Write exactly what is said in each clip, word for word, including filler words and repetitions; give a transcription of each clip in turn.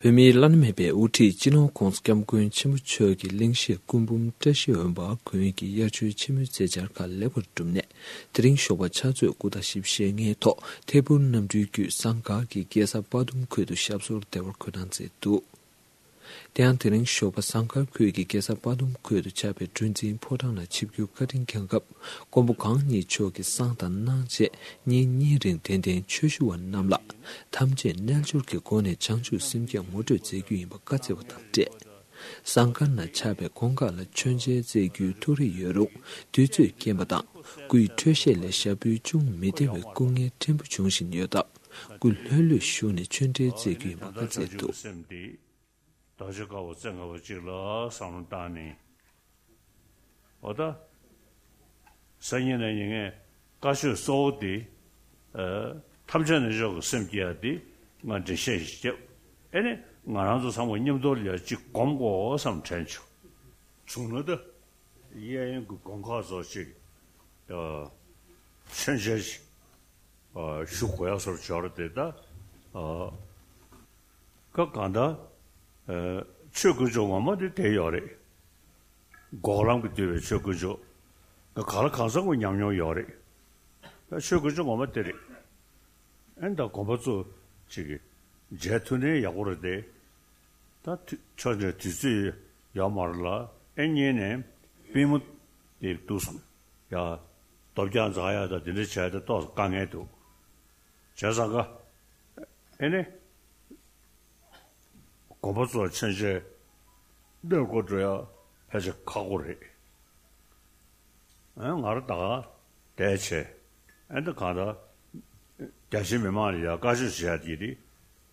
བོད་མིའི་བླ་ན་མེད་པའི་དབུ་ཁྲིད་སྤྱི་ནོར་༧གོང་ས་༧སྐྱབས་མགོན་ཆེན་པོ་མཆོག་གི་གླེང་གཞིར་སྐུ་འབུམ་བཀྲ་ཤིས་འོད་འབར་དགོན་གྱི་དབྱར་ཆོས་ཆེན་མོའི་མཛད་འཆར་ཁག་ལེགས་པར་གྲུབ་ནས། དེ་རིང་ཞོགས་པ་ཕྱག་ཚོད་དགུ་དང་བཞི་བཅུ་ཞེ་ལྔའི་ཐོག་ཐད་འཕུར་གནམ་གྲུའི་བརྒྱུད་ཟངས་དཀར་གྱི་རྒྱལ་ས་དཔའ་གདུང་ཁུལ་དུ་ཞབས་སོར་བདེ་བར་འཁོད་གནང་མཛད་འདུག། དེ་ཡང་དེ་རིང་ཞོགས་པ་ཟངས་དཀར་ཁུལ་གྱི་རྒྱལ་ས་དཔའ་གདུང་ཁུལ་དུ་ཆགས་པའི་གྲུ་འཛིན་ཕོ་བྲང་ལ་ཆིབས་བསྒྱུར་བཀའ་དྲིན་བསྐྱངས་སྐབས། མགོན་པོ་གང་ཉིད་མཆོག་གིས་བསང་དང་གནང་རྗེས་ཉིན་གཉིས་རིང་གདན་འདྲེན་ཆོས་ཞུ་བ་རྣམས་ལ། ཐམས་ཅད་རྣལ་འབྱོར་གྱི་སྒོ་ནས་བྱང་ཆུབ་སེམས་བསྐྱེད་ངོ་སྤྲོད་མཛད་རྒྱུ་ཡིན་པ་བཀའ་སྩལ་བ་དང་འབྲེལ། ཟངས་དཀར་ན་ཆགས་པའི་གོང་ཁ་ལ་མཆོད་མཇལ་མཛད་རྒྱུའི་ཐུགས་རེ་ཡོད་རུང་དུས་ཚོད་རྐྱེན་པ་དང་སྐུའི་འཕྲོད་བཞེས་ལས་ཞབས་བུའི་ཅུང་མི་བདེ་བའི་སྐུ་ངལ་ཕྲན་བུ་འབྱུང་བཞིན་ཡོད་སྟབས། སྐུ་ལྷོད་ལྷོད་བཞུགས་ནས་ཆོས་འབྲེལ་མཛད་རྒྱུ་ཡིན་པ་བཀའ་སྩལ་འདུག། བདག་ཅག་དཀའ་བ་བཙན་ཁ་བ་གཅིག་ལ་བསམ་བློ་བཏང་ནས། འོ་ད། སང་ཉིན་གནངས་ཉིན་ངས་བཀའ་ཆོས་གཙོ་བོ་དེ། ཨ། ཐམས་ཅད་རྣལ་འབྱོར་གྱི་སེམས་བསྐྱེད་ཡ་དེ་ང་འགྲེལ་བཤད་ཞིག་བརྒྱབ། ཨེ་ནི་ང་རང་ཚོ་ཚང་མ་མཉམ་དུ་ལ་ཡ་གཅིག་སྒོམ་དགོས་བསམ་དྲན་བྱུང་། བྱུང་ན་ད། གཡས་གཡོན་གྱི་དགོན་ཁག་ཚོ་གཅིག་ཨ། མཆོད་མཇལ་ཞིག་ཨ། ཞུ་དགོས་ཡ་སོར་འབྱོར་དེ་ད། ཨ། ཀ་གང་ལྟར། ཨ། ཆོས་དཀོན་མཆོག་ངོ་མ་དེ་དེ་ཡོད་རེད། འགོག་ལམ་གྱིས་བསྡུས་པའི་ཆོས་དཀོན་མཆོག་ང་ག་ལ་གང་ཟག་ངོ་ཉམས་མྱོང་ཡོད་རེད། ད་ཆོས་དཀོན་མཆོག་ངོ་མ་དེ་རེད། ཨེ་ད་དགོན་པ་ཚོ་ཅིག་གི་མཇལ་ཐུབ་ན་ཡག་པོ་རེད་དེ། ད་དུས་ཆོས་འབྲེལ་དུས་ཚོད་ཡོད་མ་རེད་ལ། ཨེ་གཉིས་ནས་པུས་མོ་དེ་འདུག་སོང་ཡ། རྡོ་བརྒྱ་འཛེག་ཡ་ད་དེ་འདྲ་བྱས་ད་ཏོག་ཙམ་དཀའ་ངལ་འདུག་བྱས་ཙང་ཀ། ཨེ་ནི། དགོན་པ་ཚོ་མཆོད་མཇལ་གནས་སྐོར་འགྲོ་ཡ་ཕལ་ཆེར་ཁག་པོ་རེད། ཨེ་ང་རང་ད་ག་བསྡད་བྱས། ཨེ་འདི་གང་ལྟར། རྒྱ་ཆེ་མི་མང་ལ་ཡ་བཀའ་ཆོས་བྱེད་ཡ་དེ་དེ།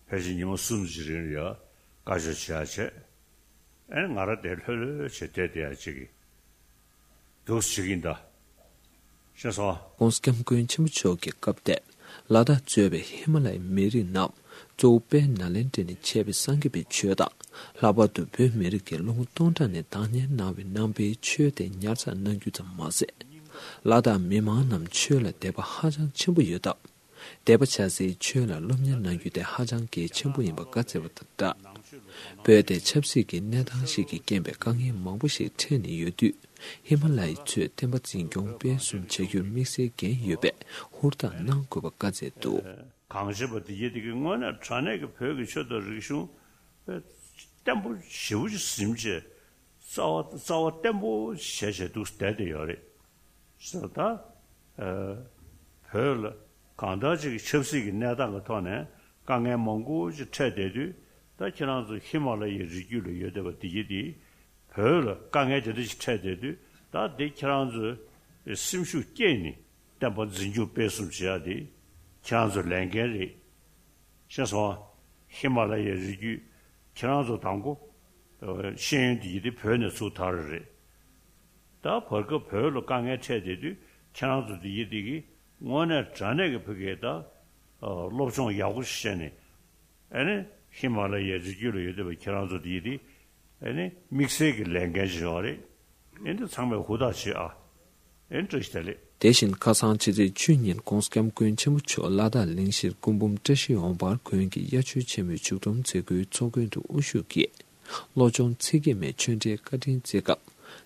ཕལ་ཆེར་ཉི་མ་གསུམ་གྱི་རིང་ལ་ཡ་བཀའ་ཆོས་བྱེད་ཡ་བྱས། ཨེ་ང་རང་དེ་ལྷོད་ལྷོད་བྱས་བསྡད་བསྡད་ཡ་ཅིག་གི་འདུག་བྱེད་ཀྱིན་གདའ། ཤེས་སོང་ཨ། ༸གོང་ས་༸སྐྱབས་མགོན་ཆེན་པོ་མཆོག་གིས་སྐབས་དེར་ལ་དྭགས་གཙོས་པའི་ཧི་མ་ལ་ཡའི་མི་རིགས་རྣམས་གཙོ་བོ་དཔལ་ནཱ་ལེནྡྲ་ནས་མཆེད་པའི་སངས་རྒྱས་པའི་ཆོས་དང་། ལྷག་པར་དུ་བོད་མི་རིགས་ཀྱིས་ལོ་ངོ་སྟོང་ཕྲག་ནས་བདག་གཉེར་གནང་བའི་ནང་པའི་ཆོས་དེ་ཉར་ཚགས་གནང་རྒྱུ་ཙམ་མ་ཟད། ལ་དྭགས་མི་མང་རྣམས་ཆོས་ལ་དད་པ་ཧ་ཅང་ཆེན་པོ་ཡོད་སྟབས། དད་པ་བྱ་སའི་ཆོས་ལ་སློབ་གཉེར་གནང་རྒྱུ་དེ་ཧ་ཅང་གལ་ཆེན་པོ་ཡིན་པ་བཀའ་སྩལ་བ་དང་སྦྲགས། བོད་དེ་ཆབ་སྲིད་ཀྱི་གནས་སྟངས་ཤིག་གི་རྐྱེན་པས་དཀའ་ངལ་མང་པོ་ཞིག་འཕྲད་ནས་ཡོད་དུས། ཧི་མ་ལ་ཡའི་ཚོས་བསྟན་པ་འཛིན་སྐྱོང་སྤེལ་གསུམ་བྱ་རྒྱུར་དམིགས་བསལ་འགན་ཡོད་པས་ཧུར་ཐག་གནང་དགོས་པ་བཀའ་སྩལ་འདུག། གང་བྱེད་པ་དེ་ཡིན་དེ་གི་དངོས་གནས་དྲང་གནས་ཀྱི་བོད་ཀྱི་ཆོས་དང་རིག་གཞུང་བརྟན་པོ་ཞེ་པོ་ཅིག་ཟིན་བྱས། རྩ་བ་རྩ་བ་བརྟན་པོ་བྱས་བྱས་འདུག་བསྡད་དེ་ཡོད་རེད། ཟེར་ད། ཨ། བོད་ལ་གང་ལྟར་ཅིག་ཆབ་སྲིད་ཀྱི་གནས་སྟངས་ཀྱི་ཐོག་ནས་དཀའ་ངལ་མང་པོ་ཅིག་འཕྲད་བསྡད་དུས། ད་ཁྱེད་རང་ཚོ་ཧི་མ་ལ་ཡའི་རི་རྒྱུད་ལ་ཡོད་བསྡད་པ་དེ་གྱིས་དེ། བོད་ལ་དཀའ་ངལ་དེ་འདྲ་ཞིག་འཕྲད་བསྡད་དུས། ད་དེ་ཁྱེད་རང་ཚོས་སེམས་ཤུགས་བསྐྱེད་ནས་བསྟན་པ་འཛིན་སྐྱོང་སྤེལ་གསུམ་བྱེད་ཡ་དེ་ཁྱེད་རང་ཚོའི་ལས་འགན་རེད། ཤེས་སོང་ཨ། ཧི་མ་ལ་ཡའི་རི་རྒྱུད་ཁྱེད་རང་ཚོ་དང་པོ། ཨ། ཤེས་ཡོན་དེ་ཡིན་དེ་བོད་ནས་ཚུགས་ཐག་རེད། ད་བར་སྐབས་བོད་ལ་དཀའ་ངལ་འཕྲད་བསྡད་དུས་ཁྱེད་རང་ཚོ་དེ་ཡིན་དེ་གི་དངོས་གནས་དྲང་གནས་ཀྱི་བོད་སྐད་ད། ཨ། སློབ་སྦྱོང་ཡག་པོ་ཞིག་བྱས་ནས། ཨ་ནི་ཧི་མ་ལ་ཡའི་རི་རྒྱུད་ལ་ཡོད་བསྡད་པ་ཁྱེད་རང་ཚོ་དེ་ཡིན་དེ། ཨ་ནི་དམིགས་བསལ་གྱི་ལས་འགན་ཞིག་ཡོད་རེད། ཨེ་འདི་ཚང་མས་ཧུར་ཐག་བྱེད་ཨ། ཨེ་བཀྲ་ཤིས་བདེ་ལེགས། དེ་བཞིན་ཁ་སང་ཕྱི་ཚེས་བཅུ་ཉིན་༸གོང་ས་༸སྐྱབས་མགོན་ཆེན་པོ་མཆོག་ལ་དྭགས་གླིང་བཞིར་སྐུ་འབུམ་བཀྲ་ཤིས་འོད་འབར་དགོན་གྱི་དབྱར་ཆོས་ཆེན་མོའི་མཇུག་སྡོམ་མཛད་སྒོའི་ཚོགས་མགོན་དུ་དབུ་བཞུགས་ཀྱིས། བློ་སྦྱོང་ཚིག་བརྒྱད་མའི་ཆོས་འབྲེལ་བཀའ་དྲིན་སྩལ་སྐབས།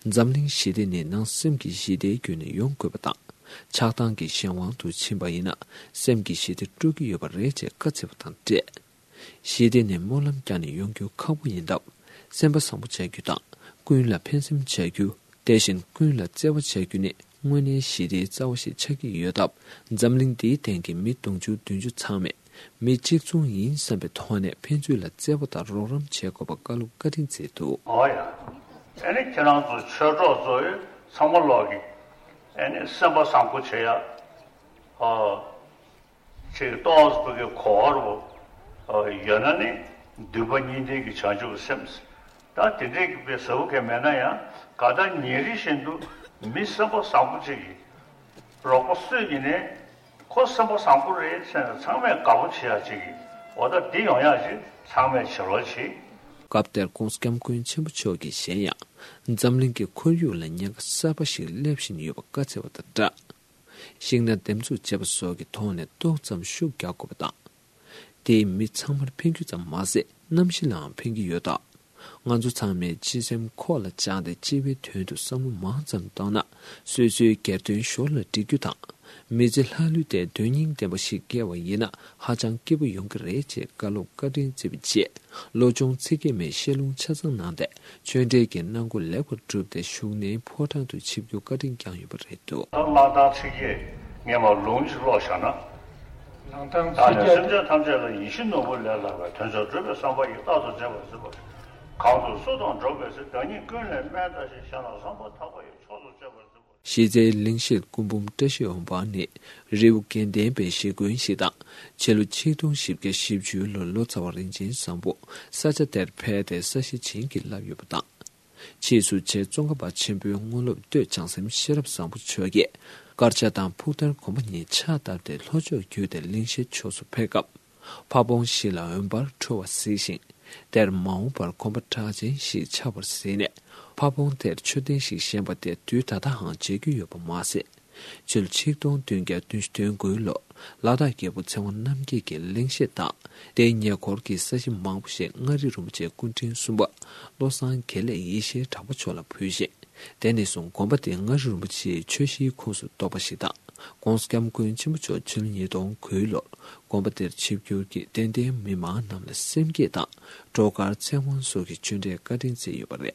འཛམ་གླིང་ཞི་བདེ་ནི་ནང་སེམས་ཀྱི་ཞི་བདེའི་བརྒྱུད་ནས་ཡོང་དགོས་པ་དང་། ཆགས་སྡང་གི་གཞན་དབང་དུ་ཕྱིན་པ་ཡིན་ན། སེམས་ཀྱི་ཞི་བདེ་དཀྲུག་གི་ཡོད་པ་རེད་ཅེས་བཀའ་སྩལ་བ་དང་འབྲེལ། ཞི་བདེ་ནས་སྨོན་ལམ་བརྒྱབ་ནས་ཡོང་རྒྱུ་ཁག་པོ་ཡིན་སྟབས། སེམས་པ་བཟང་པོ་བྱ་རྒྱུ་དང་། ཀུན་ལ་ཕན་སེམས་བྱ་རྒྱུ། དེ་བཞིན་ཀུན་ལ་བརྩེ་བ་བྱ་རྒྱུ་ནི་དངོས་གནས་ཞི་བདེའི་རྩ་བ་ཞིག་ཆགས་ཀྱི་ཡོད་སྟབས། འཛམ་གླིང་འདིའི་སྟེང་གི་མི་དུང་ཕྱུར་བདུན་ཅུ་ཚང་མས་མི་གཅིག་མཚུངས་ཡིན་བསམ་པའི་ཐོག་ནས་ཕན་ཚུན་ལ་བརྩེ་བ་དང་རོགས་རམ་བྱེད་དགོས་པ་བཀའ་སློབ་བཀའ་དྲིན་སྩལ་འདུག། ཨོ་ཡ། ཨ་ནི་ཁྱེད་རང་ཚོ་ཆོས་གྲོགས་ཚོ་ཚང་མ་ལོག་གི། ཨ་ནི་སེམས་པ་བཟང་པོ་བྱེད་ཡ། ཨོ། ཅིག་ཏོག་ཙམ་གྱི་གོ་བ་རུ་ཡོད་ན་ནི་འདུན་པ་གཉིས་ལྡན་གྱི་བྱང་ཆུབ་ཀྱི་སེམས། ད་དེ་འདྲའི་གི་དཔེ་ཟབ་མོ་གང་མེད་ན་ཡང་གང་ལྟར་ཉིན་རེ་བཞིན་དུ་མི་སེམས་པ་བཟང་པོ་ཅིག་གིས་རོགས་པ་སུ་ཡིན་ནའི་ཁོ་སེམས་པ་བཟང་པོ་རེད་ཟེར་ནས་ཚང་མས་དགའ་པོ་བྱེད་ཡག་ཅིག་གིས། འོ་ད་འདི་ཡོང་ཡག་ཅིག་ཚང་མས་བྱེད་རོགས་བྱེད། སྐབས་དེར་༸གོང་ས་༸སྐྱབས་མགོན་ཆེན་པོ་མཆོག་གིས་གཞན་ཡང་འཛམ་གླིང་གི་ཁོར་ཡུག་ལ་ཉེན་ཁ་གསར་པ་ཞིག་སླེབས་བཞིན་ཡོད་པ་བཀའ་སྩལ་བ་དང་སྦྲགས། ཤིང་སྣ་འདེབས་འཛུགས་བྱེད་པ་སོགས་ཀྱི་ཐོག་ནས་ཏོག་ཙམ་ཤུགས་རྒྱག་དགོས་པ་དང་། དེས་མི་ཚང་མར་ཕན་རྒྱུ་ཙམ་མ་ཟད། གནམ་གཤིས་ལའང་ཕན་གྱི་ཡོད་སྟབས། ང་ཚོ་ཚང་མས་སྤྱི་སེམས་ཁོག་ལ་བཅངས་ཏེ་སྤྱི་པའི་དོན་དུ་བསམ་བློ་མང་ཙམ་བཏང་ན། སོ་སོའི་སྒེར་དོན་ཞོར་ལ་སྒྲིག་རྒྱུ་དང་། མི་ཚེ་ལྷ་ལུས་ཏེ་དོན་སྙིང་ལྡན་པ་ཞིག་སྐྱེལ་བ་ཡིན་ན་ཧ་ཅང་སྐྱིད་པོ་ཡོང་གི་རེད་ཅེས་བཀའ་སློབ་བཀའ་དྲིན་བསྩལ་བའི་རྗེས། ལོ་ཆུང་ཚེ་རྒྱས་མས་བཤད་ལུང་ཆ་ཚང་གནང་སྟེ། ཆོས་འབྲེལ་གྱི་གནང་སྒོ་ལེགས་པར་གྲུབ་སྟེ་བཞུགས་གནས་ཕོ་བྲང་དུ་ཆིབས་བསྒྱུར་བཀའ་དྲིན་བསྐྱངས་ཡོད་པ་རེད་འདུག། ད་གླང་ཐང་ཚིག་བརྒྱད་སྔས་མ་ལུང་གཅིག་ཀློག་བཞག་ན། གླང་ཐང་ད་ཚིག་ནས་བརྒྱད། སེམས་ཅན་ཐམས་ཅད་ལ་ཡིད་བཞིན་ནོར་བུ་ལས་ལྷག་པའི་དོན་མཆོག་སྒྲུབ་པའི་བསམ་པ་ཡིས་རྟག་ཏུ་མཛེས་པར་མཛད་པ། གང་དུ་སུ་དང་འགྲོགས་པའི་ཚེ་བདག་ཉིད་ཀུན་ལས་དམན་ལྟ་ཞིང་གཞན་ལ་བསམ་པ་ཐག་པ་ཡིས་མཆོག་ཏུ་མཛེས་པར་མཛད་པ། གཞི་རྩའི་གླེང་གཞས་སྐུ་འབུམ་བཀྲ་ཤིས་འོད་འབར་ནི་རི་བོ་དགེ་ལྡན་པའི་གཞིས་དགོན་ཞིག་དང་། ཕྱི་ལོ་ཆིག་སྟོང་བཞི་བརྒྱ་བཞི་བཅུ་ལོར་ལོ་ཙཱ་བ་རིན་ཆེན་བཟང་པོ་ས་ཆ་དེར་ཕེབས་ཏེ་ས་གཞི་བྱིན་གྱིས་བརླབས་ཡོད་པ་དང་། ཕྱིས་སུ་རྗེ་ཙོང་ཁ་པ་ཆེན་པོའི་དངོས་སློབ་སྟོད་བྱང་སེམས་ཤེས་རབ་བཟང་པོ་མཆོག་གིས་དཀར་ཆག་དང་ཕུག་ཐར་དགོན་པ་གཉིས་ཕྱག་བཏབ་སྟེ་ལྷོ་ཕྱོགས་བརྒྱུད་དེ་གླེང་གཞས་ཕྱོགས་སུ་ཕེབས་སྐབས། ཕ་བོང་བཞི་ལ་འོད་འབར་འཕྲོ་བ་གཟིགས་ཤིང་། དེར་མ་འོངས་པར་དགོན་པ་གྲགས་ཅན་ཞིག་ཆགས་པར་གཟིགས་ནས། ཕ་བོང་དེར་མཆོད་རྟེན་ཞིག་བཞེངས་པ་དེ་དུས་ད་ལྟའང་མཇལ་རྒྱུ་ཡོད་པ་མ་ཟད། ཕྱི་ལོ་ཆིག་སྟོང་བདུན་བརྒྱ་བདུན་ཅུ་དོན་དགུ་ལོར་ལ་དྭགས་རྒྱལ་པོ་ཚེ་དབང་རྣམ་རྒྱལ་གྱི་གླེང་གཞས་དང་། དེའི་ཉེ་འཁོར་གྱི་ས་གཞི་མང་པོ་ཞིག་མངའ་རིས་རིན་པོ་ཆེའི་སྐུ་ཕྲེང་གསུམ་པ་བློ་བཟང་དགེ་ལེགས་ཡེ་ཤེས་གྲགས་པ་མཆོག་ལ་ཕུལ་ཞིང་། དེ་ནས་བཟུང་དགོན་པ་དེ་མངའ་རིས་རིན་པོ་ཆེའི་ཆོས་གཞིའི་ཁོངས་སུ་གཏོགས་པ་ཞིག་དང་། ༸གོང་ས་༸སྐྱབས་མགོན་ཆེན་པོ་མཆོག་ཕྱི་ལོ་ཉིས་སྟོང་དགུ་ལོར་དགོན་པ་དེར་ཆིབས་བསྒྱུར་གྱིས་དད་ལྡན་མི་མང་རྣམས་ལ་སེམས་བསྐྱེད་དང་སྒྲོལ་དཀར་ཚེ་དབང་སོགས་ཀྱི་ཆོས་འབྲེལ་བཀའ་དྲིན་བསྩལ་ཡོད་པ་རེད།